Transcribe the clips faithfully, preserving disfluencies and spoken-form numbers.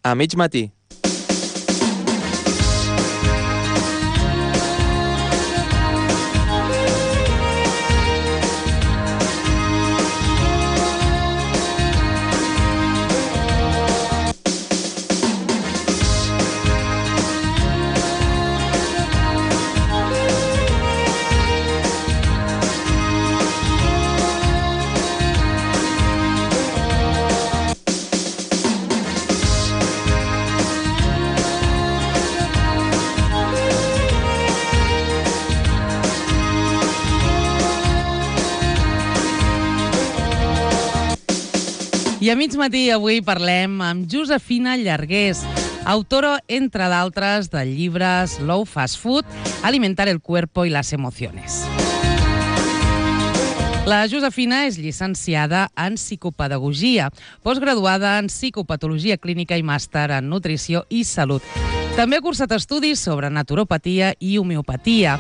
A mig matí. I a mig matí avui parlem amb Josefina Llargués, autora, entre d'altres, del llibre Slow Fast Food, alimentar el cuerpo y las emociones. La Josefina és llicenciada en psicopedagogia, postgraduada en psicopatologia clínica i màster en nutrició i salut. També ha cursat estudis sobre naturopatia i homeopatia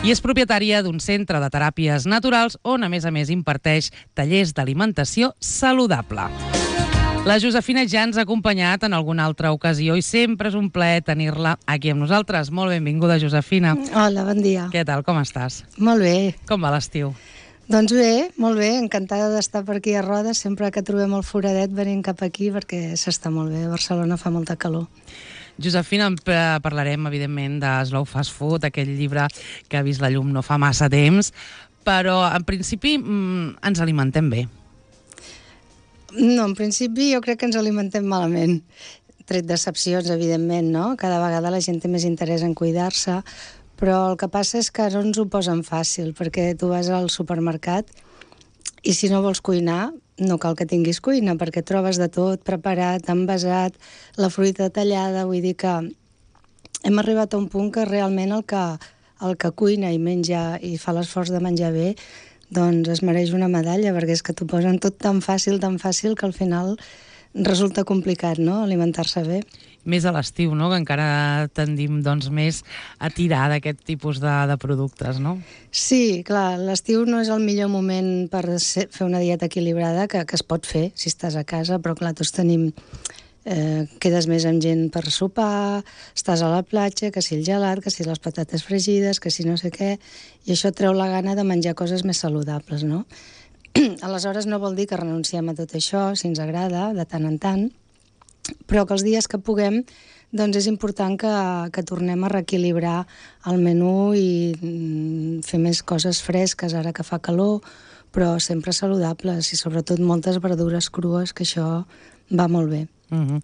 i és propietària d'un centre de teràpies naturals on, a més a més, imparteix tallers d'alimentació saludable. La Josefina ja ens ha acompanyat en alguna altra ocasió i sempre és un plaer tenir-la aquí amb nosaltres. Molt benvinguda, Josefina. Hola, bon dia. Què tal, com estàs? Molt bé. Com va l'estiu? Doncs bé, molt bé, encantada d'estar per aquí a Roda, sempre que trobem el foradet venim cap aquí perquè s'està molt bé, a Barcelona fa molta calor. Josefina, parlarem, evidentment, de Slow Fast Food, aquell llibre que ha vist la llum no fa massa temps, però, en principi, ens alimentem bé. No, en principi jo crec que ens alimentem malament. Tret d'excepcions, evidentment, no? Cada vegada la gent té més interès en cuidar-se, però el que passa és que no ens ho posen fàcil, perquè tu vas al supermercat i si no vols cuinar, no cal que tinguis cuina, perquè trobes de tot preparat, envasat, la fruita tallada, vull dir que hem arribat a un punt que realment el que, el que cuina i menja i fa l'esforç de menjar bé, doncs es mereix una medalla, perquè és que t'ho posen tot tan fàcil, tan fàcil, que al final resulta complicat, no?, alimentar-se bé. Més a l'estiu, no?, que encara tendim doncs, més a tirar d'aquest tipus de, de productes, no? Sí, clar, l'estiu no és el millor moment per ser, fer una dieta equilibrada, que, que es pot fer si estàs a casa, però clar, tots tenim... Eh, quedes més amb gent per sopar, estàs a la platja, que si el gelat, que si les patates fregides, que si no sé què, i això treu la gana de menjar coses més saludables, no? Aleshores no vol dir que renunciem a tot això, si ens agrada, de tant en tant, però que els dies que puguem doncs és important que, que tornem a reequilibrar el menú i mm, fer més coses fresques ara que fa calor, però sempre saludables i sobretot moltes verdures crues, que això va molt bé. Uh-huh.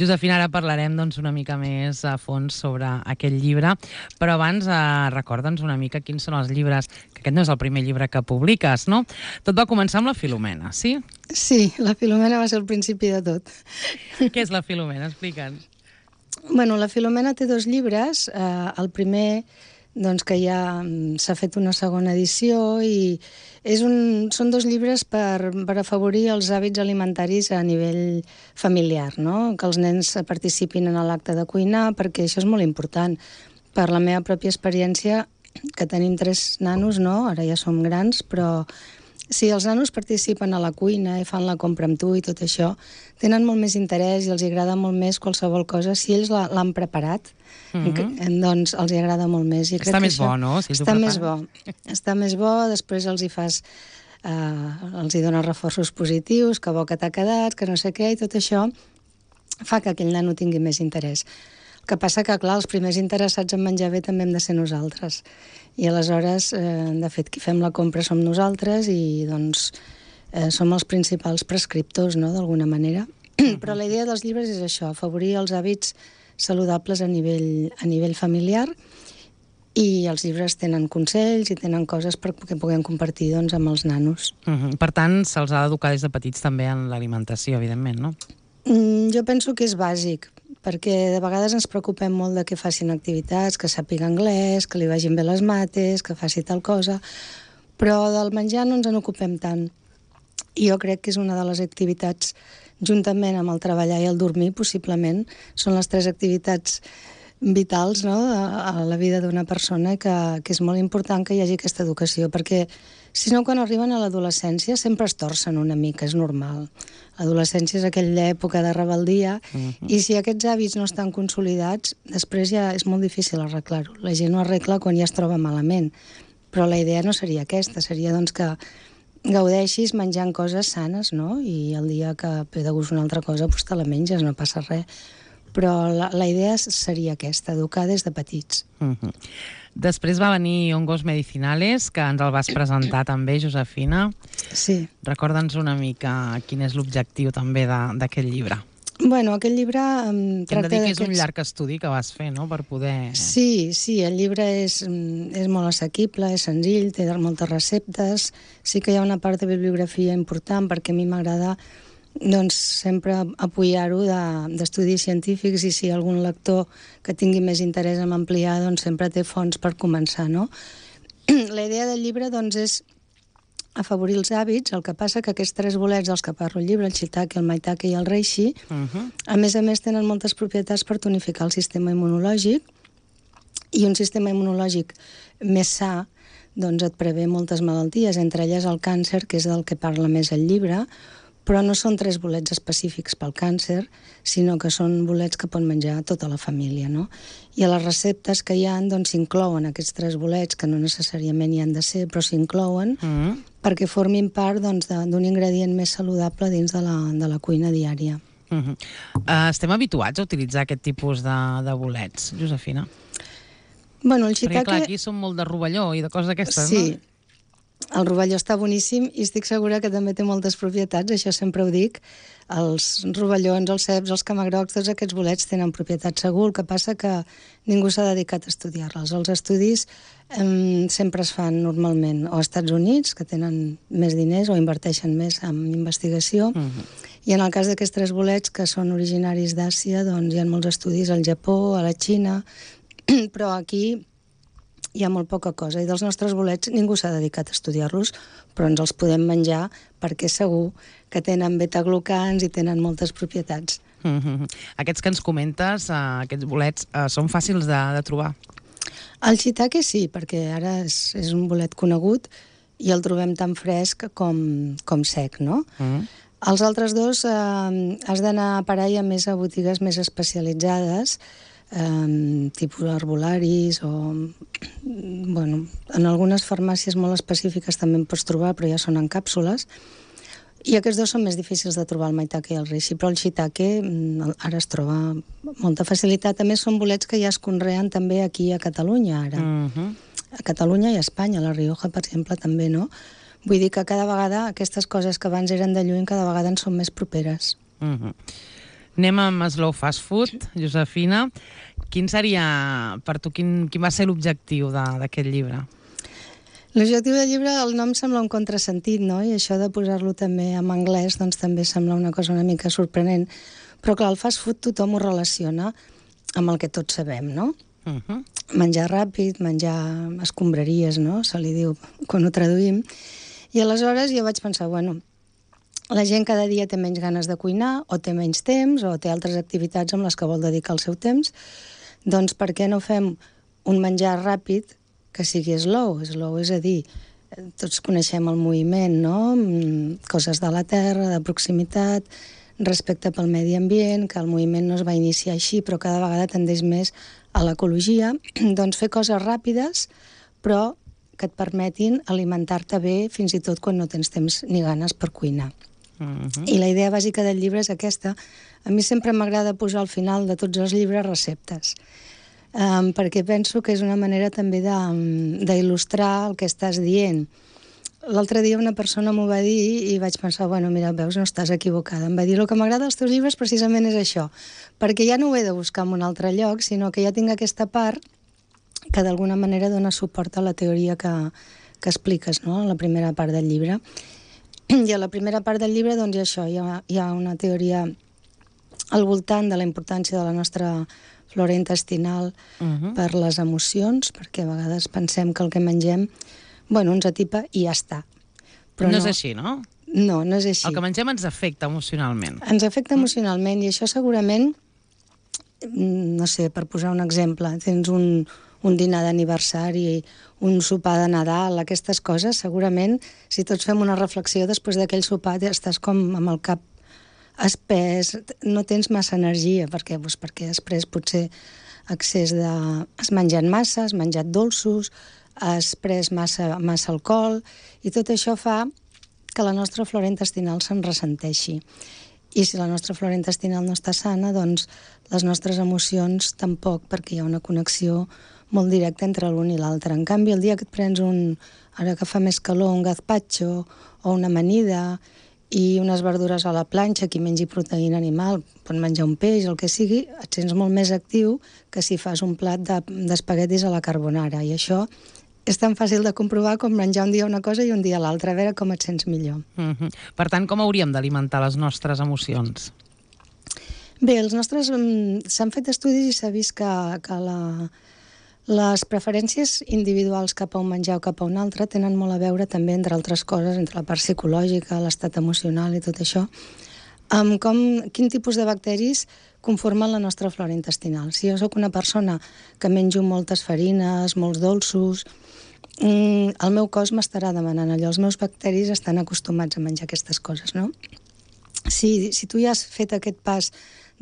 Josefina, ara parlarem doncs, una mica més a fons sobre aquest llibre, però abans eh, recorda'ns una mica quins són els llibres, que aquest no és el primer llibre que publiques, no? Tot va començar amb la Filomena, sí? Sí, la Filomena va ser el principi de tot. Què és la Filomena? Explica'ns. Bueno, la Filomena té dos llibres. Eh, el primer, doncs, que ja s'ha fet una segona edició i és un, són dos llibres per, per afavorir els hàbits alimentaris a nivell familiar, no? Que els nens participin en l'acte de cuinar, perquè això és molt important. Per la meva pròpia experiència, que tenim tres nanos, no? Ara ja som grans, però si els nanos participen a la cuina i fan la compra amb tu i tot això, tenen molt més interès i els agrada molt més qualsevol cosa. Si ells l'han preparat, mm-hmm. doncs els agrada molt més. I està crec més que això bo, no? Si està més bo. Està més bo, després els hi fas... Eh, els hi dones reforços positius, que bo que t'ha quedat, que no sé què, i tot això fa que aquell nano tingui més interès. El que passa que, clar, els primers interessats en menjar bé també hem de ser nosaltres. I aleshores, eh, de fet, qui fem la compra som nosaltres i, doncs, eh, som els principals prescriptors, no?, d'alguna manera. Mm-hmm. Però la idea dels llibres és això, afavorir els hàbits saludables a nivell, a nivell familiar, i els llibres tenen consells i tenen coses perquè puguem compartir, doncs, amb els nanos. Uh-huh. Per tant, se'ls ha d'educar des de petits també en l'alimentació, evidentment, no? Mm, jo penso que és bàsic, perquè de vegades ens preocupem molt de que facin activitats, que sàpiga anglès, que li vagin bé les mates, que faci tal cosa, però del menjar no ens en ocupem tant. I jo crec que és una de les activitats, juntament amb el treballar i el dormir, possiblement, són les tres activitats vitals, no?, a la vida d'una persona, que, que és molt important que hi hagi aquesta educació, perquè Si no, quan arriben a l'adolescència sempre es torcen una mica, és normal. L'adolescència és aquella època de rebeldia, uh-huh. i si aquests hàbits no estan consolidats, després ja és molt difícil arreglar-ho. La gent ho arregla quan ja es troba malament. Però la idea no seria aquesta, seria doncs que gaudeixis menjant coses sanes, no? I el dia que ve de gust una altra cosa, doncs te la menges, no passa res. Però la, la idea seria aquesta, educar des de petits. Uh-huh. Després va venir Hongos Medicinales, que ens el vas presentar també, Josefina. Sí. Recorda'ns una mica quin és l'objectiu també d'aquest llibre. Bueno, aquest llibre um, tracta d'aquests... Hem de dir que és un llarg estudi que vas fer, no?, per poder... Sí, sí, el llibre és, és molt assequible, és senzill, té moltes receptes. Sí que hi ha una part de bibliografia important, perquè a mi m'agrada doncs, sempre apoyar-ho d'estudis científics, i si algun lector que tingui més interès en ampliar, doncs sempre té fonts per començar, no? La idea del llibre doncs, és afavorir els hàbits. El que passa que aquests tres bolets dels que parlo al llibre, el shiitake, el maitake i el reishi, uh-huh. a més a més tenen moltes propietats per tonificar el sistema immunològic, i un sistema immunològic més sa doncs et prevé moltes malalties, entre elles el càncer, que és del que parla més el llibre, però no són tres bolets específics pel càncer, sinó que són bolets que pot menjar tota la família, no? I a les receptes que hi ha, doncs s'inclouen aquests tres bolets, que no necessàriament hi han de ser, però s'inclouen, mm. perquè formin part doncs, d'un ingredient més saludable dins de la, de la cuina diària. Mm -hmm. uh, estem habituats a utilitzar aquest tipus de, de bolets, Josefina? Bueno, el shiitake... Perquè clar, aquí som molt de rovelló i de coses d'aquestes, sí. no? Sí. El rovelló està boníssim i estic segura que també té moltes propietats, això sempre ho dic. Els rovellons, els ceps, els camagrocs, tots aquests bolets tenen propietats segur, el que passa que ningú s'ha dedicat a estudiar-les. Els estudis eh, sempre es fan normalment o als Estats Units, que tenen més diners o inverteixen més en investigació, uh-huh. i en el cas d'aquests tres bolets, que són originaris d'Àsia, doncs hi ha molts estudis al Japó, a la Xina, però aquí hi ha molt poca cosa, i dels nostres bolets ningú s'ha dedicat a estudiar-los, però ens els podem menjar perquè segur que tenen betaglucans i tenen moltes propietats. Mm-hmm. Aquests que ens comentes, uh, aquests bolets, uh, són fàcils de, de trobar? El shiitake sí, perquè ara és, és un bolet conegut i el trobem tan fresc com, com sec, no? Mm-hmm. Els altres dos eh, has d'anar a parar ja més a botigues més especialitzades, Um, tipus arbolaris o bueno, en algunes farmàcies molt específiques també en pots trobar, però ja són en càpsules, i aquests dos són més difícils de trobar, el maitake i el reishi, però el shiitake ara es troba amb molta facilitat. A més són bolets que ja es conreen també aquí a Catalunya ara, uh-huh. a Catalunya i a Espanya, a La Rioja per exemple també, no? Vull dir que cada vegada aquestes coses que abans eren de lluny cada vegada ens són més properes. Uh-huh. Anem amb Slow Fast Food, Josefina. Quin seria, per tu, quin, quin va ser l'objectiu d'aquest llibre? L'objectiu del llibre, el nom sembla un contrasentit, no? I això de posar-lo també en anglès, doncs també sembla una cosa una mica sorprenent. Però clar, el fast food tothom ho relaciona amb el que tots sabem, no? Uh-huh. Menjar ràpid, menjar escombraries, no? Se li diu quan ho traduïm. I aleshores jo vaig pensar, bueno, la gent cada dia té menys ganes de cuinar, o té menys temps, o té altres activitats amb les que vol dedicar el seu temps, doncs per què no fem un menjar ràpid que sigui slow? Slow és a dir, tots coneixem el moviment, no? Coses de la terra, de proximitat, respecte pel medi ambient, que el moviment no es va iniciar així, però cada vegada tendeix més a l'ecologia, doncs fer coses ràpides, però que et permetin alimentar-te bé fins i tot quan no tens temps ni ganes per cuinar. Uh-huh. I la idea bàsica del llibre és aquesta. A mi sempre m'agrada posar al final de tots els llibres receptes, um, perquè penso que és una manera també d'il·lustrar el que estàs dient. L'altre dia una persona m'ho va dir i vaig pensar, bueno, mira, veus, no estàs equivocada. Em va dir, el que m'agrada dels teus llibres precisament és això, perquè ja no ho he de buscar en un altre lloc, sinó que ja tinc aquesta part que d'alguna manera dona suport a la teoria que, que expliques, no?, a la primera part del llibre. I a la primera part del llibre, doncs, hi ha això, hi ha, hi ha una teoria al voltant de la importància de la nostra flora intestinal uh-huh. per les emocions, perquè a vegades pensem que el que mengem, bueno, ens atipa i ja està. Però no, no és així, no? No, no és així. El que mengem ens afecta emocionalment. Ens afecta emocionalment, i això segurament, no sé, per posar un exemple, tens un, un dinar d'aniversari, un sopar de Nadal, aquestes coses, segurament, si tots fem una reflexió després d'aquell sopar, estàs com amb el cap espès, no tens massa energia, perquè, doncs, perquè després potser excés de... has menjat massa, has menjat dolços, has pres massa, massa alcohol, i tot això fa que la nostra flora intestinal se'n ressenteixi. I si la nostra flora intestinal no està sana, doncs les nostres emocions tampoc, perquè hi ha una connexió molt directa entre l'un i l'altre. En canvi, el dia que et prens un, ara que fa més calor, un gazpacho o una amanida i unes verdures a la planxa, qui mengi proteïna animal, pot menjar un peix, el que sigui, et sents molt més actiu que si fas un plat d'espaguetis a la carbonara. I això és tan fàcil de comprovar com menjar un dia una cosa i un dia l'altra, a veure com et sents millor. Mm-hmm. Per tant, com hauríem d'alimentar les nostres emocions? Bé, els nostres... s'han fet estudis i s'ha vist que, que la, les preferències individuals cap a un menjar o cap a un altre tenen molt a veure també, entre altres coses, entre la part psicològica, l'estat emocional i tot això, amb com, quin tipus de bacteris conformen la nostra flora intestinal. Si jo sóc una persona que menjo moltes farines, molts dolços, el meu cos m'estarà demanant allò. Els meus bacteris estan acostumats a menjar aquestes coses, no? Si, si tu ja has fet aquest pas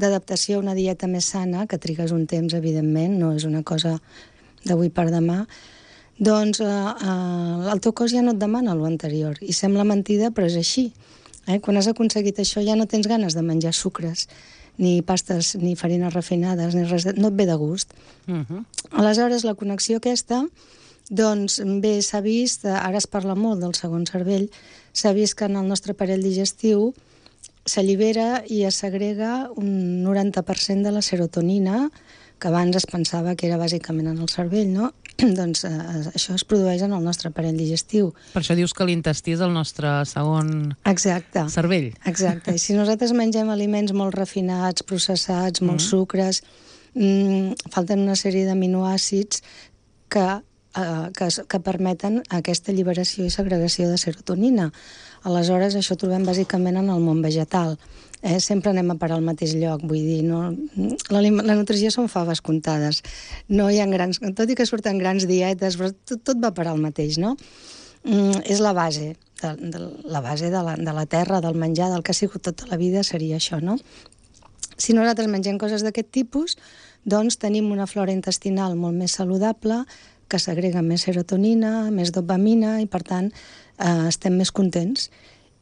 d'adaptació a una dieta més sana, que trigues un temps, evidentment, no és una cosa d'avui per demà, doncs eh, eh, el teu cos ja no et demana l'anterior. I sembla mentida, però és així. Eh? Quan has aconseguit això ja no tens ganes de menjar sucres, ni pastes, ni farines refinades, ni res de... no et ve de gust. Uh-huh. Aleshores, la connexió aquesta, doncs bé, s'ha vist, ara es parla molt del segon cervell, s'ha vist que en el nostre aparell digestiu s'allibera i es segrega un noranta per cent de la serotonina, que abans es pensava que era bàsicament en el cervell, no? Doncs eh, això es produeix en el nostre aparell digestiu. Per això dius que l'intestí és el nostre segon Exacte. cervell. Exacte. I si nosaltres mengem aliments molt refinats, processats, molts mm. sucres, mmm, falten una sèrie d'aminoàcids que, eh, que, que permeten aquesta alliberació i segregació de serotonina. Aleshores, això ho trobem bàsicament en el món vegetal. Eh, sempre anem a parar al mateix lloc, vull dir, no, la, la nutrició són faves comptades. No hi ha grans, tot i que surten grans dietes, però tot, tot va parar al mateix, no? Mm, és la base, de, de, la base de la, de la terra, del menjar, del que ha sigut tota la vida, seria això, no? Si nosaltres mengem coses d'aquest tipus, doncs tenim una flora intestinal molt més saludable, que segrega més serotonina, més dopamina, i per tant eh, estem més contents.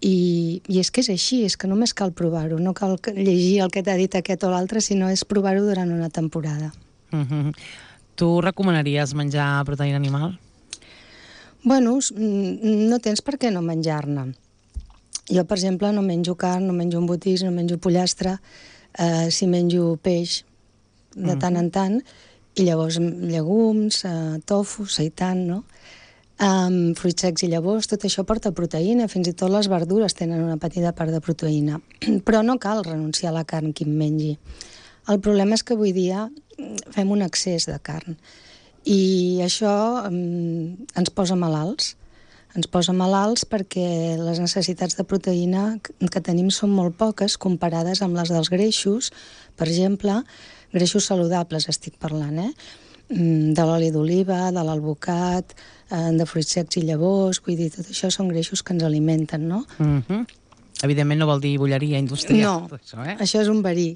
I, I és que és així, és que només cal provar-ho, no cal llegir el que t'ha dit aquest o l'altre, sinó és provar-ho durant una temporada. Mm-hmm. Tu recomanaries menjar proteïna animal? Bueno, no tens per què no menjar-ne. Jo, per exemple, no menjo carn, no menjo embotits, no menjo pollastre, eh, si menjo peix de mm-hmm. tant en tant, i llavors llegums, eh, tofu, seitan, no? Um, fruits secs i llavors, tot això porta proteïna, fins i tot les verdures tenen una petita part de proteïna. Però no cal renunciar a la carn qui en mengi. El problema és que avui dia fem un excés de carn i això um, ens posa malalts. Ens posa malalts perquè les necessitats de proteïna que tenim són molt poques comparades amb les dels greixos. Per exemple, greixos saludables estic parlant, eh? De l'oli d'oliva, de l'alvocat, de fruits secs i llavors, vull dir, tot això són greixos que ens alimenten, no? Mm-hmm. Evidentment no vol dir bolleria industrial. No, això, eh? això és un verí.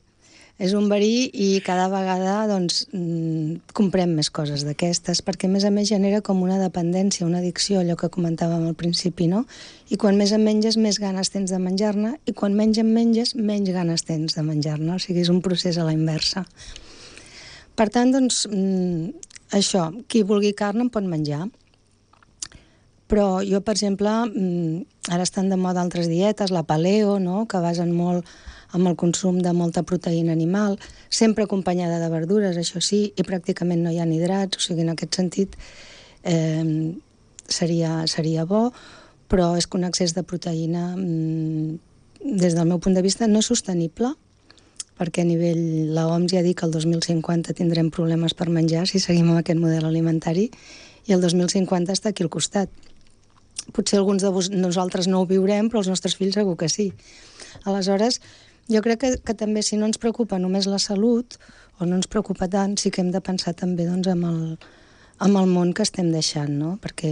És un verí i cada vegada, doncs, comprem més coses d'aquestes, perquè a més a més genera com una dependència, una addicció, allò que comentàvem al principi, no? I quan més en menges, més ganes tens de menjar-ne, i quan menys en menges, menys ganes tens de menjar-ne. O sigui, és un procés a la inversa. Per tant, doncs, això, qui vulgui carn en pot menjar. Però jo, per exemple, ara estan de moda altres dietes, la paleo, no?, que basen molt amb el consum de molta proteïna animal, sempre acompanyada de verdures, això sí, i pràcticament no hi ha hidrats, o sigui, en aquest sentit eh, seria, seria bo, però és que un excés de proteïna, des del meu punt de vista, no és sostenible, perquè a nivell, la O M S ja ha dit que el dos mil cinquanta tindrem problemes per menjar si seguim amb aquest model alimentari, i el dos mil cinquanta està aquí al costat. Potser alguns de vos, nosaltres no ho viurem, però els nostres fills segur que sí. Aleshores, jo crec que, que també si no ens preocupa només la salut, o no ens preocupa tant, sí que hem de pensar també doncs, amb, el, amb el món que estem deixant, no? Perquè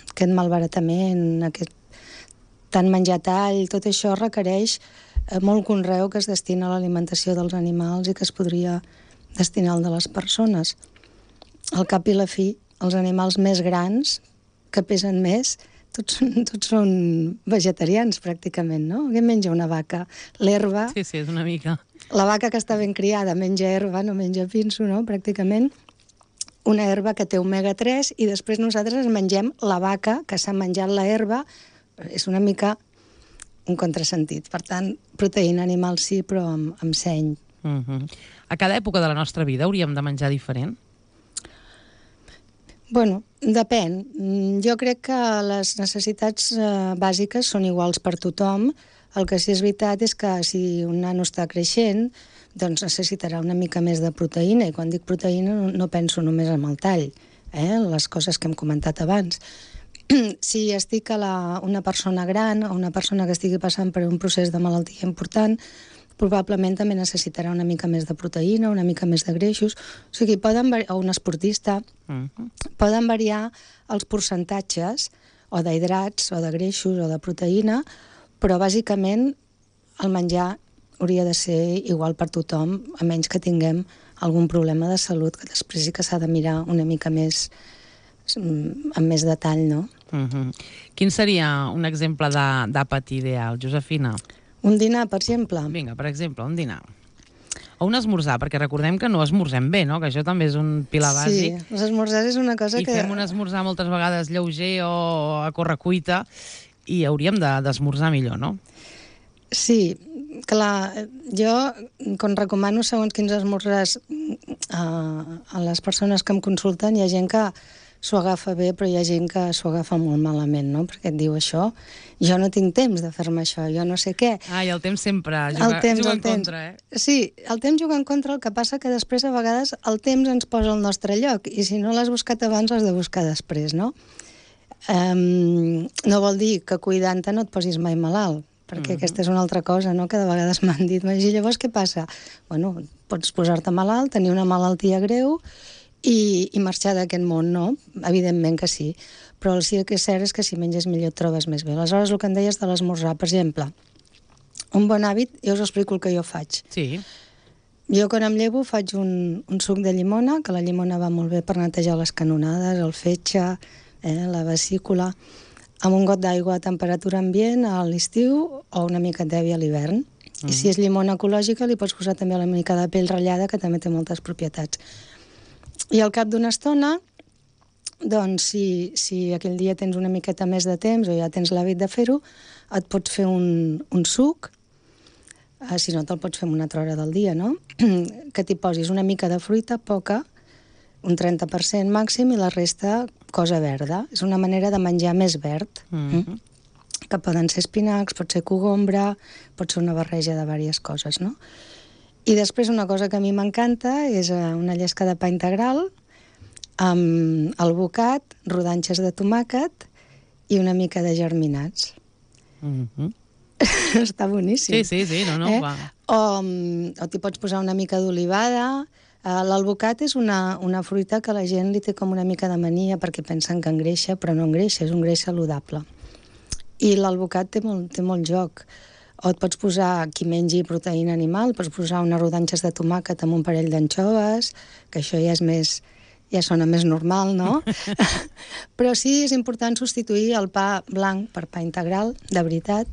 aquest malbaratament, aquest tant menjar tall, tot això requereix molt conreu que es destina a l'alimentació dels animals i que es podria destinar al de les persones. Al cap i la fi, els animals més grans, que pesen més, tots són, tots són vegetarians, pràcticament, no? Què menja una vaca? L'herba... Sí, sí, és una mica. La vaca que està ben criada menja herba, no menja pinso, no? Pràcticament una herba que té omega tres i després nosaltres mengem la vaca que s'ha menjat la herba. És una mica un contrasentit. Per tant, proteïna animal sí, però amb, amb seny. Uh-huh. A cada època de la nostra vida hauríem de menjar diferent? Bueno, depèn. Jo crec que les necessitats eh, bàsiques són iguals per tothom. El que sí és veritat és que si un nano està creixent, doncs necessitarà una mica més de proteïna, i quan dic proteïna no, no penso només en el tall, eh? Les coses que hem comentat abans. Si estic a la, una persona gran o una persona que estigui passant per un procés de malaltia important, probablement també necessitarà una mica més de proteïna, una mica més de greixos, o sigui, poden variar, o un esportista, uh-huh. poden variar els percentatges o d'hidrats o de greixos o de proteïna, però bàsicament el menjar hauria de ser igual per tothom, a menys que tinguem algun problema de salut, que després sí que s'ha de mirar una mica més amb més detall, no? Uh-huh. Quin seria un exemple d'àpat ideal, Josefina? Un dinar, per exemple. Vinga, per exemple, un dinar. O un esmorzar, perquè recordem que no esmorzem bé, no? Que això també és un pilar bàsic. Sí, l'esmorzar és una cosa I que... I fem un esmorzar moltes vegades lleuger o a correcuita i hauríem d'esmorzar millor, no? Sí, clar, jo quan recomano segons quins esmorzars a, a les persones que em consulten, hi ha gent que s'ho agafa bé, però hi ha gent que s'ho agafa molt malament, no? Perquè et diu això, jo no tinc temps de fer-me això, jo no sé què. Ah, i el temps sempre juga, el temps, juga en temps. contra, eh? Sí, el temps juga en contra, el que passa que després a vegades el temps ens posa al nostre lloc, i si no l'has buscat abans l'has de buscar després, no? Um, no vol dir que cuidant-te no et posis mai malalt, perquè uh-huh. aquesta és una altra cosa, no?, que de vegades m'han dit, i llavors què passa? Bueno, pots posar-te malalt, tenir una malaltia greu i, i marxar d'aquest món, no? Evidentment que sí, però el sí que és cert és que si menges millor et trobes més bé. Aleshores, el que em deies de l'esmorzar, per exemple, un bon hàbit, jo us explico el que jo faig. Sí. Jo quan em llevo faig un, un suc de llimona, que la llimona va molt bé per netejar les canonades, el fetge, eh, la vesícula, amb un got d'aigua a temperatura ambient a l'estiu o una mica d'evi a l'hivern. Uh-huh. I si és llimona ecològica li pots posar també una mica de pell ratllada, que també té moltes propietats. I al cap d'una estona, doncs si, si aquell dia tens una miqueta més de temps o ja tens l'hàbit de fer-ho, et pots fer un, un suc, eh, si no te'l pots fer en una altra hora del dia, no? Que t'hi posis una mica de fruita, poca, un trenta per cent màxim, i la resta cosa verda. És una manera de menjar més verd, mm-hmm. mm? que poden ser espinacs, pot ser cogombra, pot ser una barreja de diverses coses, no? I després una cosa que a mi m'encanta és una llesca de pa integral amb alvocat, rodanxes de tomàquet i una mica de germinats. Mm-hmm. Està boníssim. Sí, sí, sí, no, no, eh? va. O, o t'hi pots posar una mica d'olivada. L'alvocat és una, una fruita que la gent li té com una mica de mania perquè pensen que engreixa, però no engreixa, és un greix saludable. I l'alvocat té molt, té molt joc. O et pots posar, qui mengi proteïna animal, pots posar unes rodanxes de tomàquet amb un parell d'anxoves, que això ja és més, ja sona més normal, no? Però sí, és important substituir el pa blanc per pa integral, de veritat.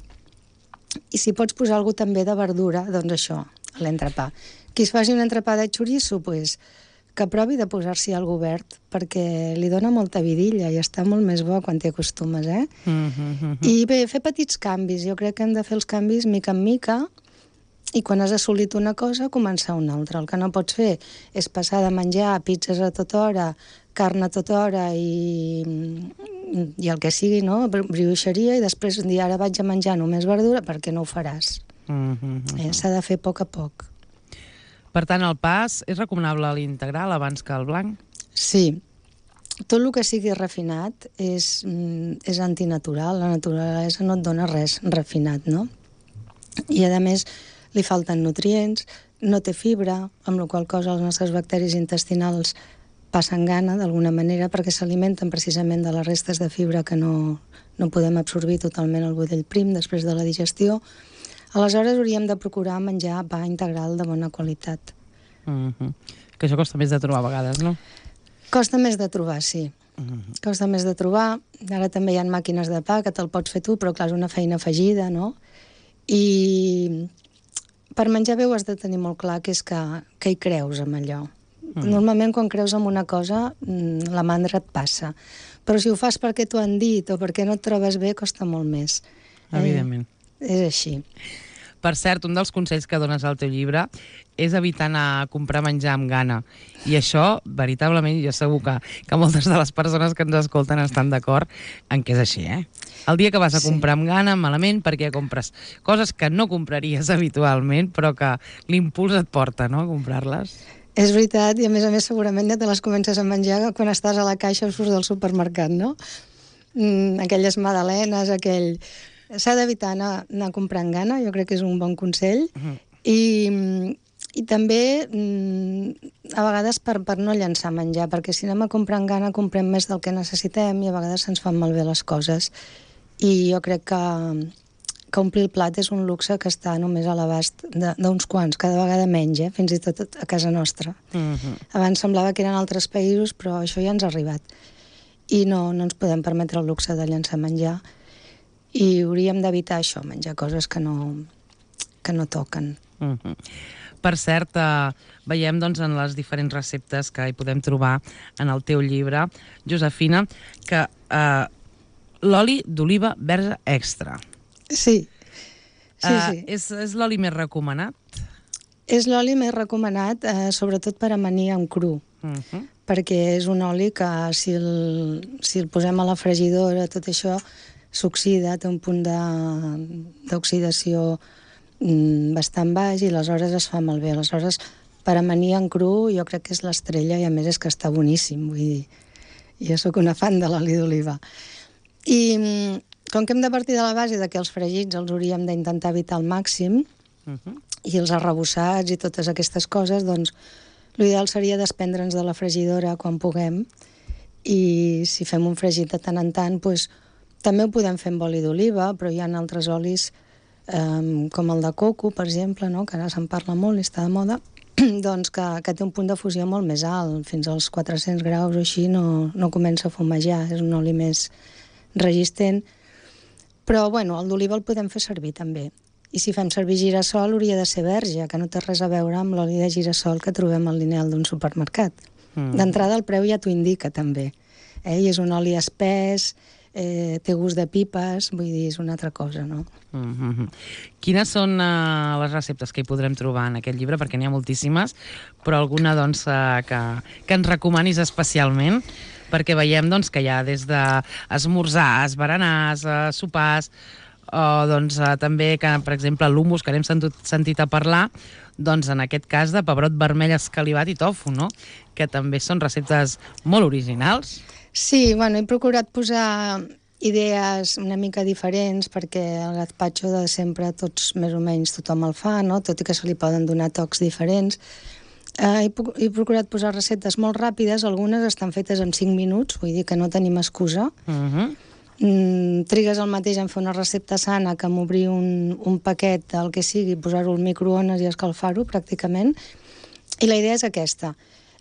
I si pots posar alguna també de verdura, doncs això, a l'entrepà. Qui es faci un entrepà de xoriço, pues, que provi de posar-s'hi algo verd, perquè li dona molta vidilla i està molt més bo quan t'hi acostumes, eh? Mm-hmm. I bé, fer petits canvis. Jo crec que hem de fer els canvis mica en mica i quan has assolit una cosa, començar una altra. El que no pots fer és passar de menjar pizzas a tota hora, carn a tota hora i, i el que sigui, no? Brioixeria, i després dir ara vaig a menjar només verdura, perquè no ho faràs. Mm-hmm. Eh? S'ha de fer a poc a poc. Per tant, el pa és recomanable a l'integral abans que el blanc? Sí. Tot el que sigui refinat és, és antinatural. La naturalesa no et dona res refinat, no? I, a més, li falten nutrients, no té fibra, amb la qual cosa els nostres bacteris intestinals passen gana d'alguna manera perquè s'alimenten precisament de les restes de fibra que no, no podem absorbir totalment al budell prim després de la digestió. Aleshores hauríem de procurar menjar pa integral de bona qualitat. Mm-hmm. Que això costa més de trobar a vegades, no? Costa més de trobar, sí. Mm-hmm. Costa més de trobar. Ara també hi ha màquines de pa que te'l pots fer tu, però clar, és una feina afegida, no? I per menjar bé ho has de tenir molt clar, que és que, que hi creus amb allò. Mm. Normalment quan creus en una cosa la mandra et passa, però si ho fas perquè t'ho han dit o perquè no et trobes bé costa molt més. Evidentment. Eh, és així. Per cert, un dels consells que dones al teu llibre és evitar anar a comprar menjar amb gana. I això, veritablement, jo segur que, que moltes de les persones que ens escolten estan d'acord en que és així, eh? El dia que vas a comprar amb gana, malament, perquè compres coses que no compraries habitualment, però que l'impuls et porta, no?, a comprar-les. És veritat, i a més a més segurament ja te les comences a menjar quan estàs a la caixa o surts del supermercat, no? Mm, aquelles magdalenes, aquell... S'ha d'evitar anar, anar comprant gana, jo crec que és un bon consell. Uh-huh. I, i també mm, a vegades per, per no llançar menjar, perquè si anem a comprar amb gana comprem més del que necessitem i a vegades se'ns fan malbé les coses. I jo crec que, que omplir el plat és un luxe que està només a l'abast d'uns quants, cada vegada menys, eh? Fins i tot a casa nostra. Uh-huh. Abans semblava que eren altres països, però això ja ens ha arribat. I no, no ens podem permetre el luxe de llançar menjar. I hauríem d'evitar això, menjar coses que no, que no toquen. Uh-huh. Per cert, eh, veiem doncs, en les diferents receptes que hi podem trobar en el teu llibre, Josefina, que eh, l'oli d'oliva verge extra. Sí, sí, uh, sí. És, és l'oli més recomanat? És l'oli més recomanat, eh, sobretot per amanir en cru. Uh-huh. Perquè és un oli que si el, si el posem a la fregidora, tot això s'oxida, té un punt d'oxidació mm, bastant baix i aleshores es fa malbé. Aleshores, per amanir en cru jo crec que és l'estrella i a més és que està boníssim. Vull dir, jo sóc una fan de l'oli d'oliva. I com que hem de partir de la base de que els fregits els hauríem d'intentar evitar al màxim, uh-huh. i els arrebossats i totes aquestes coses, doncs l'ideal seria desprendre'ns de la fregidora quan puguem i si fem un fregit de tant en tant, doncs, també ho podem fer amb oli d'oliva, però hi ha altres olis eh, com el de coco, per exemple, no? Que ara se'n parla molt i està de moda, doncs que, que té un punt de fusió molt més alt, fins als quatre-cents graus o així no, no comença a fumejar, és un oli més resistent. Però, bueno, el d'oliva el podem fer servir també. I si fem servir girassol hauria de ser verge, que no té res a veure amb l'oli de girassol que trobem al lineal d'un supermercat. Mm. D'entrada el preu ja t'ho indica també. Eh? I és un oli espès, eh, té gust de pipes, vull dir, és una altra cosa, no? Mm-hmm. Quines són uh, les receptes que hi podrem trobar en aquest llibre? Perquè n'hi ha moltíssimes, però alguna doncs, uh, que, que ens recomanis especialment? Perquè veiem doncs, que hi ha des d'esmorzars, berenars, uh, sopars, o doncs, uh, també, que, per exemple, l'humus, que n'hem sentit, sentit a parlar, doncs en aquest cas de pebrot vermell escalivat i tofu, no? Que també són receptes molt originals. Sí, bueno, he procurat posar idees una mica diferents perquè el gazpacho de sempre tots més o menys tothom el fa, no? Tot i que se li poden donar tocs diferents. Eh, he, he procurat posar receptes molt ràpides, algunes estan fetes en cinc minuts, vull dir que no tenim excusa. Uh-huh. Mm, trigues el mateix en fer una recepta sana que en obrir un, un paquet del que sigui, posar-ho al microones i escalfar-ho pràcticament. I la idea és aquesta.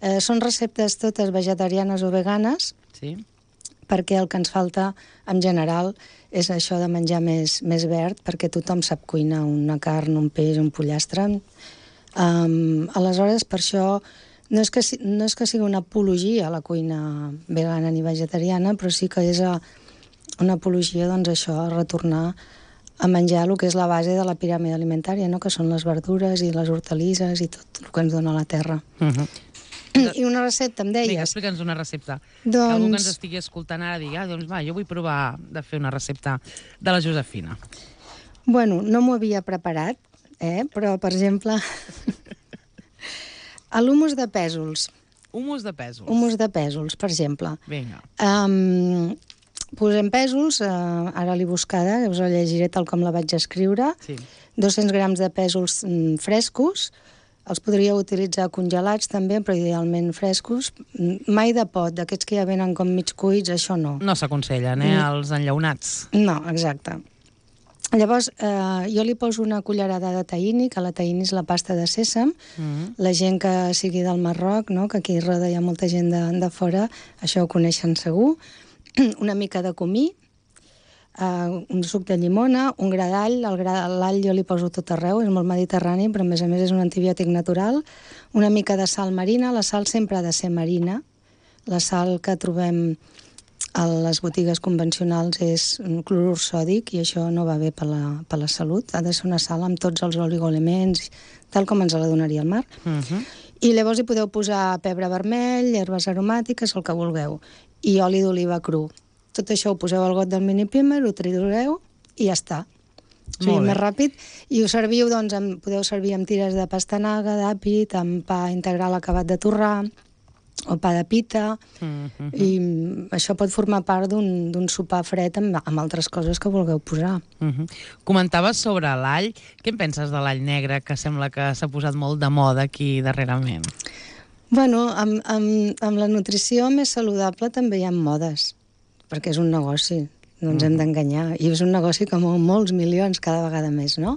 Eh, són receptes totes vegetarianes o veganes, sí. Perquè el que ens falta en general és això de menjar més, més verd, perquè tothom sap cuinar una carn, un peix, un pollastre. Um, aleshores, per això no és, que, no és que sigui una apologia a la cuina vegana ni vegetariana, però sí que és a, una apologia, doncs això, a retornar a menjar el que és la base de la piràmide alimentària, no? Que són les verdures i les hortalisses i tot el que ens dona la terra. Uh-huh. I una recepta, em deies. Vinga, explica'ns una recepta. Doncs... Que algú que ens estigui escoltant ara digui, ah, doncs va, jo vull provar de fer una recepta de la Josefina. Bueno, no m'ho havia preparat, eh? Però, per exemple, l'humus de pèsols. Humus de pèsols. Humus de pèsols, per exemple. Vinga. Um, posem pèsols, uh, ara l'he buscada, us la llegiré tal com la vaig escriure. Sí. dos-cents grams de pèsols mm, frescos, Els podríeu utilitzar congelats també, però idealment frescos. Mai de pot, d'aquests que ja venen com mig cuits, això no. No s'aconsellen, eh, els enllaunats. No, exacte. Llavors, eh, jo li poso una cullerada de tahini, que la tahini és la pasta de sèsam. Mm. La gent que sigui del Marroc, no?, que aquí roda hi ha molta gent de, de fora, això ho coneixen segur. Una mica de comí, Uh, un suc de llimona, un gra d'all. El gra l'all jo li poso tot arreu, és molt mediterrani, però a més a més és un antibiòtic natural. Una mica de sal marina, la sal sempre ha de ser marina. La sal que trobem a les botigues convencionals és un clorur sòdic i això no va bé per la, per la salut. Ha de ser una sal amb tots els oligoelements, tal com ens la donaria el mar. Uh-huh. I llavors hi podeu posar pebre vermell, herbes aromàtiques, el que vulgueu, i oli d'oliva cru. Tot això ho poseu al got del mini primer, ho tritureu i ja està. O sigui, més ràpid. I ho serviu, doncs, amb, podeu servir amb tires de pastanaga, d'àpid, amb pa integral acabat de torrar, o pa de pita, mm-hmm. i això pot formar part d'un sopar fred amb, amb altres coses que vulgueu posar. Mm-hmm. Comentaves sobre l'all. Què en penses de l'all negre, que sembla que s'ha posat molt de moda aquí darrerament? Bueno, amb, amb, amb la nutrició més saludable també hi ha modes, perquè és un negoci, no ens hem d'enganyar, i és un negoci que mou molts milions cada vegada més, no?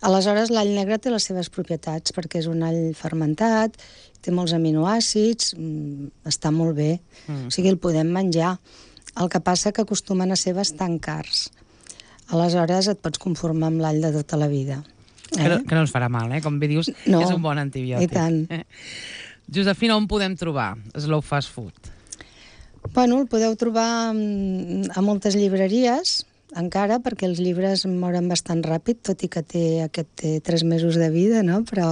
Aleshores, l'all negre té les seves propietats, perquè és un all fermentat, té molts aminoàcids, està molt bé, mm. o sigui, el podem menjar. El que passa que acostumen a ser bastant cars. Aleshores, et pots conformar amb l'all de tota la vida. Eh? Que, no, que no ens farà mal, eh? Com bé dius, no, és un bon antibiòtic. I tant. Eh? Josefina, on podem trobar Slow Fast Food? Bueno, el podeu trobar a moltes llibreries, encara, perquè els llibres moren bastant ràpid, tot i que té, aquest té tres mesos de vida, no? Però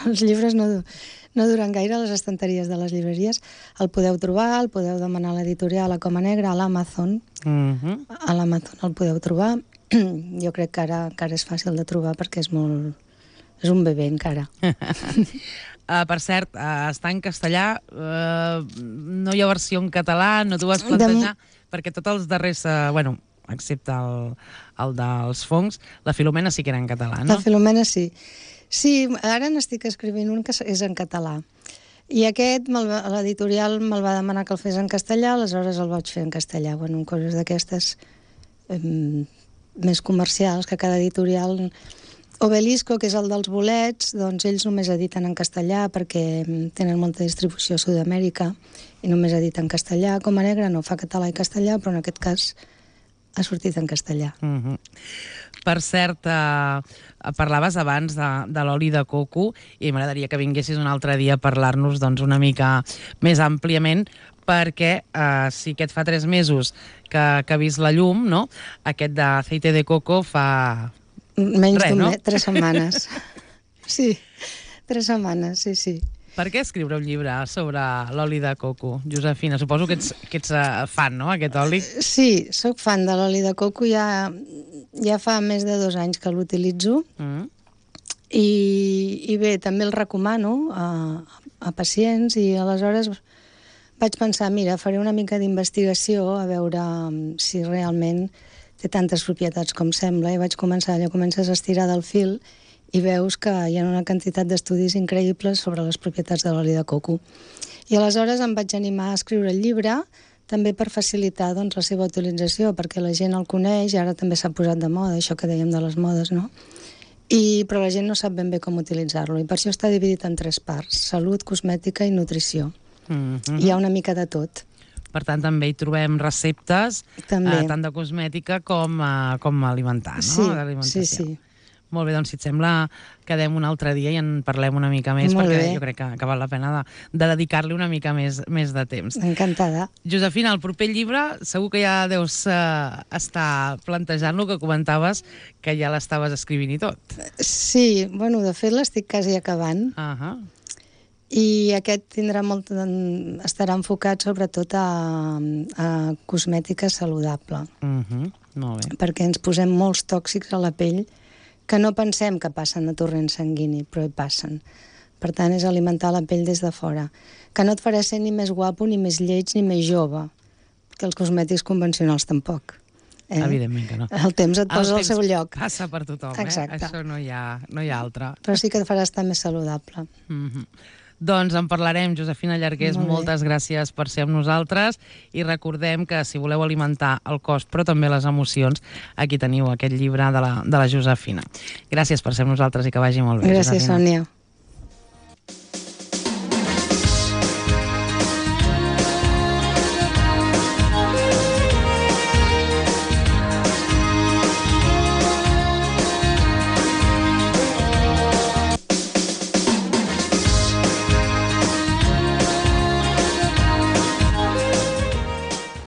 els llibres no, no duren gaire a les estanteries de les llibreries. El podeu trobar, el podeu demanar a l'editorial a Coma Negra, a l'Amazon. Mm-hmm. A l'Amazon el podeu trobar. Jo crec que ara, que ara és fàcil de trobar perquè és molt... és un bebè encara. Uh, per cert, uh, està en castellà, uh, no hi ha versió en català, no t'ho vas plantejar, de... perquè tots els darrers, uh, bueno, excepte el, el dels fongs, la Filomena sí que era en català, no? La Filomena sí. Sí, ara n'estic escrivint un que és en català. I aquest, l'editorial me'l va demanar que el fes en castellà, aleshores el vaig fer en castellà. Bueno, coses d'aquestes eh, més comercials, que cada editorial... Obelisco, que és el dels bolets, doncs ells només editen en castellà perquè tenen molta distribució a Sud-amèrica i només editen en castellà. Coma Negra no fa català i castellà, però en aquest cas ha sortit en castellà. Mm-hmm. Per cert, eh, parlaves abans de, de l'oli de coco i m'agradaria que vinguessis un altre dia a parlar-nos doncs, una mica més àmpliament, perquè eh, si aquest fa tres mesos que, que ha vist la llum, no? Aquest d'aceite de coco fa... Menys d'un mes, tres setmanes. Sí, tres setmanes, sí, sí. Per què escriure un llibre sobre l'oli de coco, Josefina? Suposo que ets, que ets uh, fan, no?, aquest oli. Sí, sóc fan de l'oli de coco, ja, ja fa més de dos anys que l'utilitzo. Mm. I, I bé, també el recomano a, a pacients i aleshores vaig pensar, mira, faré una mica d'investigació a veure si realment té tantes propietats com sembla, i vaig començar, allò comences a estirar del fil i veus que hi ha una quantitat d'estudis increïbles sobre les propietats de l'oli de coco. I aleshores em vaig animar a escriure el llibre, també per facilitar doncs, la seva utilització, perquè la gent el coneix, i ara també s'ha posat de moda, això que dèiem de les modes, no? I, però la gent no sap ben bé com utilitzar-lo, i per això està dividit en tres parts: salut, cosmètica i nutrició. Mm-hmm. Hi ha una mica de tot. Per tant, també hi trobem receptes, eh, tant de cosmètica com, eh, com alimentar, no? Sí, sí, sí. Molt bé, doncs si et sembla, quedem un altre dia i en parlem una mica més, Molt perquè bé. jo crec que, que val la pena de, de dedicar-li una mica més, més de temps. Encantada. Josefina, el proper llibre segur que ja deus eh, estar plantejant el que comentaves, que ja l'estaves escrivint i tot. Sí, bueno, de fet l'estic quasi acabant. Ahà. I aquest tindrà molt, estarà enfocat sobretot a, a cosmètica saludable. Uh-huh. Molt bé. Perquè ens posem molts tòxics a la pell que no pensem que passen a torrent sanguini, però hi passen. Per tant, és alimentar la pell des de fora. Que no et farà ser ni més guapo, ni més lleig, ni més jove. Perquè els cosmètics convencionals tampoc. Eh? Evidentment que no. El temps et posa El al seu lloc. passa per tothom, Exacte. eh? Això no hi ha, no hi ha altre. Però sí que et farà estar més saludable. Mm-hmm. Doncs en parlarem, Josefina Llargués, moltes gràcies per ser amb nosaltres i recordem que si voleu alimentar el cos però també les emocions, aquí teniu aquest llibre de la, de la Josefina. Gràcies per ser amb nosaltres i que vagi molt bé, Gràcies, Josefina. Sònia.